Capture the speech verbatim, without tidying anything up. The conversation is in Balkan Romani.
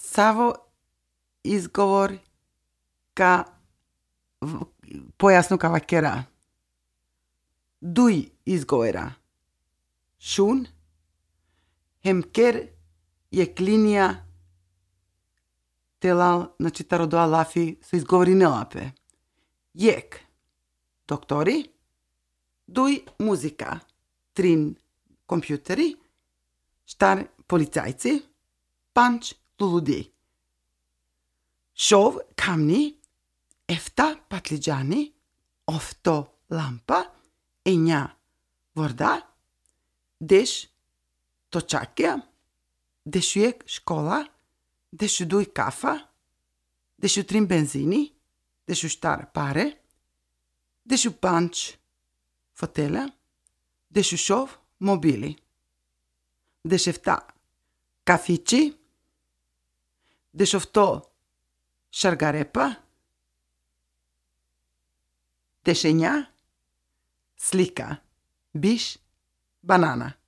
Savo izgovor ka v- pojasnu ka vakera. Duj izgovora. Šun, hem ker jekh linija telal, znači taro dola lafi so izgovorinela pe. Jekh, doktori, duj, muzika, trin, kompjuteri, štar, policajci, pandž, luludi. Šov, kamni, efta, patlidžani, ofto, lampa, enja, vorda, deš, točakija, dešujekh, škola, dešuduj, kafa, dešutrin, benzini, dešuštar, pare, dešupandž, fotelja, dešušov, mobili, dešefta, kafiči, dešofto, šargarepa, dešenja, slika, biš, banana.